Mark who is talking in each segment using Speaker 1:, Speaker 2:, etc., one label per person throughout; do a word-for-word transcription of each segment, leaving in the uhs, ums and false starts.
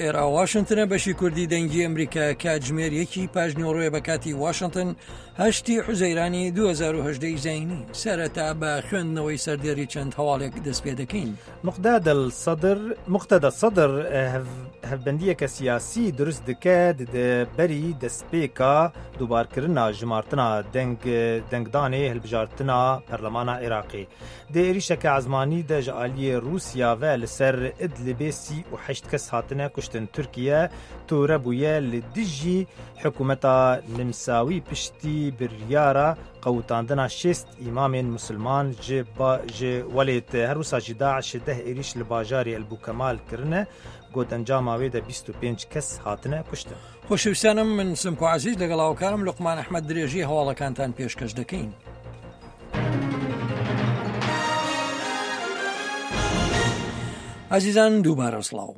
Speaker 1: ئێرە واشنتنە، بەشی کوردی دەنگی ئەمریکا. کاتژمێر یەکی پاش نیوەڕۆیە بە کاتی واشنتن، هەشتی حوزەیرانی دوو هەزار و هەژدە زایینی. سەرەتا بە خوێندنەوەی سەردێری چەند هەواڵێک دەست پێ دەکەین.
Speaker 2: مقداد الصدر مقتدى الصدر hevbendiyeke siyasî dirust dike berî destpêka dubarkirina jimartina deng dengdanê hilbijartina Perlemana Iraqê. Di êrişeke ezmanî de ji aliyê Rûsya ve li ser Idlibê sî û heşt kes hatine kuştin. Tirkiye tûre bûye li dijî hikûmeta Nimsawî piştî biryara qewitandina şêst îmamên Musulman ji ji welêt. Her wisa jî Daişê deh êriş li bajarê Elbûkemal kirine, got encama wê de bîst û pênc kes hatine kuştin.
Speaker 1: خۆشەویستانم، من سمکۆ عزیز لەگەڵ هاوکارم لوقمان ئەحمەد درێژی هەواڵەکانتان پێشکەش دەکەین. ئازیزان، دووبارە سڵاو.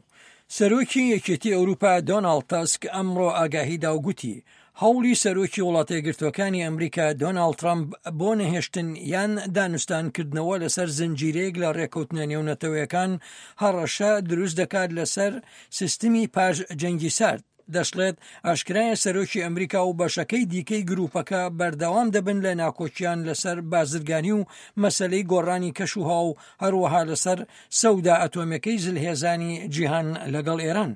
Speaker 1: سەرۆکی یەکێتی ئەوروپا دۆناڵد تەسک ئەمڕۆ ئاگاهیدا و گوتی هەوڵی سەرۆکی وڵاتە یەکگرتووەکانی ئەمریکا دۆناڵد ترەمپ بۆ نەهێشتن یان دانوستانکردنەوە لەسەر زنجیرەیەک لە ڕێکەوتنە نێونەتەوەیەکان هەڕەشە دروست دەکات لەسەر سیستمی پاش جەنگی سارد. دەشڵێت ئاشکرایە سەرۆکی ئەمریکا و بەشەکەی دیکەی گروپەکە بەردەوام دەبن لە ناکۆکیان لەسەر بازرگانی و مەسلەی گۆڕانی کەشوهەوا و هەروەها لەسەر سەودا ئەتۆمیەکەی زلهێزانی جیهان لەگەڵ ئێران.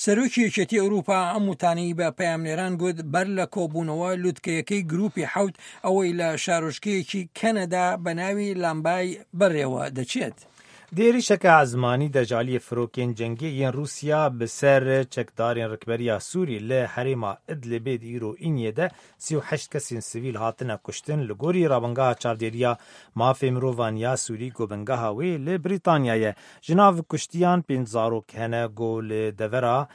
Speaker 1: سەرۆکی یەکێتی ئەوروپا ئەم وتانەی بە پەیامنێران گوت بەر لە کۆبوونەوە لوتکەیەکەی گروپی حەوت ئەوەی لە شارۆچکەیەکی کەنەدا بە ناوی لامبای بەڕێوە دەچێت.
Speaker 2: Di êrişeke ezmanî de ji aliyê firokên cengê yên Rûsya bi ser çekdarên rikberiya Sûrî li herêma Idlibê di îro îniyê de sî û heşt kesên sivîl hatine kuştin, li gorî Rawangeha Çavdêriya Mafê Mirovan ya Sûrî ku bingeha wê li Brîtanya ye. Ji nav kuştiyan pênc zarok hene ku li devera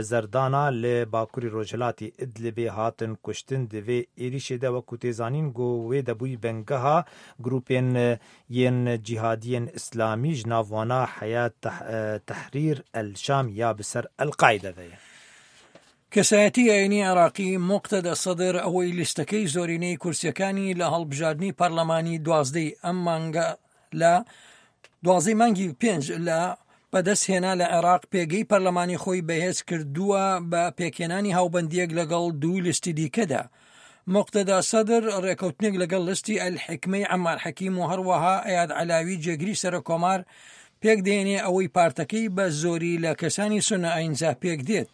Speaker 2: Zerdana li bakurê rojhilatê Idlibê hatin kuştin. Di vê êrişê de, wekû tê zanîn, ku wê debûyî bingeha grûpên yên cîhadiyên Îslamî, ji nav wana Heyet Tehrîr El Şam ya bi ser El-Qaîde ve ye.
Speaker 1: کەسایەتی ئاینی عێراقی موقتەدا سەدر ئەوەی لیستەکەی زۆرینەی کورسیەکانی لە هەڵبژاردنی پەرلەمانی دوازدەی ئەم مانگە لە دوازدەی مانگی پێنج لە بەدەست هێنا لە عێراق، پێگەی پەرلەمانی خۆی بەهێز کردووە بە پێکهێنانی هاوبەندیەک لەگەڵ دوو لیستی دیکەدا. مقتەدا سەدر ڕێکەوتنێک لەگەڵ لیستی ئەلحیکمەی عەمار حەکیم و هەروەها ئەیاد عەلاوی جێگری سەرۆک کۆمار پێک دێنێ، ئەوەی پارتەکەی بە زۆری لە کەسانی سونە ئاینزا پێک دێت.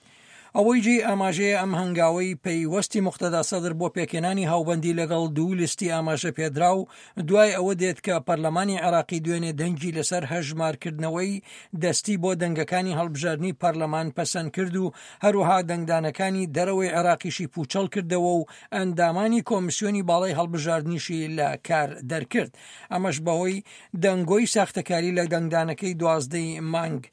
Speaker 1: ئەوەی جێی ئاماژەیە ئەم هەنگاوەی پەیوەستی مقتەدا سەدر بۆ پێکهێنانی هاوبەندی لەگەڵ دوو لیستی ئاماژە پێدراو دوای ئەوە دێت کە پەرلەمانی عێراقی دوێنێ دەنگی لەسەر هەژمارکردنەوەی دەستی بۆ دەنگەکانی هەڵبژاردنی پەرلەمان پەسەند کرد و هەروەها دەنگدانەکانی دەرەوەی عێراقیشی پوچەڵ کردەوە و ئەندامانی کۆمیسیۆنی باڵای هەڵبژاردنیشی لە کار دەرکرد، ئەمەش بەهۆی دەنگۆی ساختەکاری لە دەنگدانەکەی دوازدەی مانگ.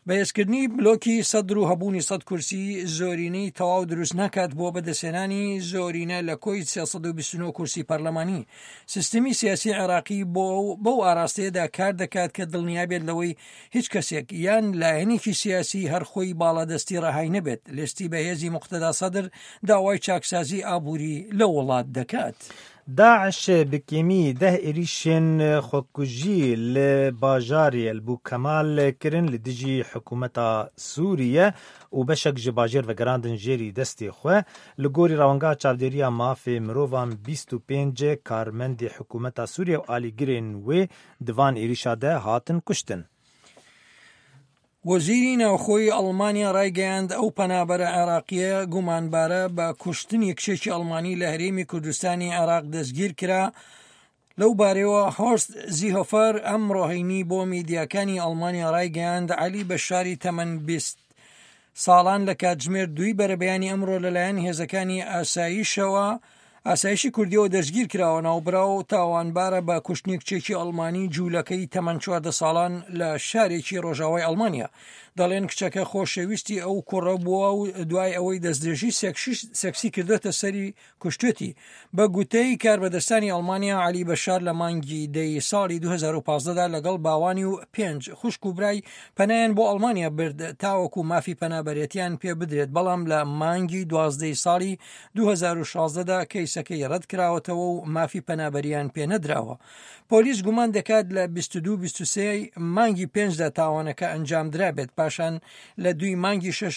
Speaker 1: بەهێزکردنی بلۆکی سەدر و هەبوونی سەد کورسی زۆرینەی تەواو دروست ناکات بۆ بەدەستهێنانی زۆرینە لە کۆی سێ سەد و بیست و نۆ کورسی پەرلەمانی. سیستمی سیاسی عێراقی بۆ بەو ئاراستەیەدا کار دەکات کە دڵنیا بێت لەوەی هیچ کەسێک یان لایەنێکی سیاسی هەر خۆی باڵادەستی ڕەهای نەبێت. لیستی بەهێزی مقتەدا سەدر داوای چاکسازی ئابووری لە وڵات دەکات.
Speaker 2: داعش bi kêmî deh êrişên xwekujî li bajarê Elbûkemal kirin li dijî hikûmeta Sûriye û beşek ji bajêr vegerandin jêrî destê xwe. Li gorî Rawangeha Çavdêriya Mafê Mirovan, bîst û pênc karmendê hikûmeta Sûriye û alîgirên wê di van êrişa de hatin kuştin.
Speaker 1: وەزیری ناوخۆی ئەڵمانیا ڕایگەیاند ئەو پەنابەرە عێراقیە گومانبارە بە کوشتنی کچێکی ئەڵمانی لە هەرێمی کوردستانی عێراق دەستگیر کرا. لەو بارەوە هۆرست زیهۆفەر ئەمڕۆ هەینی بۆ میدیاکانی ئەڵمانیا ڕایگەیاند عەلی بەشاری تەمەن بیست ساڵان لە کاتژمێر دووی بەرەبەیانی ئەمڕۆ لەلایەن هێزەکانی ئاسایشەوە ئاسایشی کوردیەوە دەستگیر کراوە. ناوبراو تاوانبارە بە کوشتنی کچێکی ئەڵمانی جوولەکەی تەمەن چواردە ساڵان لە شارێکی ڕۆژاوای ئەڵمانیا. دەڵێن کچەکە خۆشەویستی ئەو کوڕە بووە و دوای ئەوەی دەستدرێژی سێکسی کردوێتە سەری کوشتێتی. بە گوتەی کاربەدەستانی ئەڵمانیا، علی بەشار لە مانگی دەی ساڵی دوو هەزار و پازدە دا لەگەڵ باوانی و پێنج خوشک و برای پەنایان بۆ ئەڵمانیا برد تاوەکو مافی پەنابەرێتیان پێ بدرێت، بەڵام لە مانگی دوازدەی ساڵی دوو هەزار و شازدە دا کەیسەکەیان کەیسەکەی ڕەتکراوەتەوە و مافی پەنابەریان پێنەدراوە. پۆلیس گومان دەکات لە بیست و دوو بیست و سێ مانگی پێنجدا تاوانەکە ئەنجامدرابێت، پاشان لە دووی مانگی شەش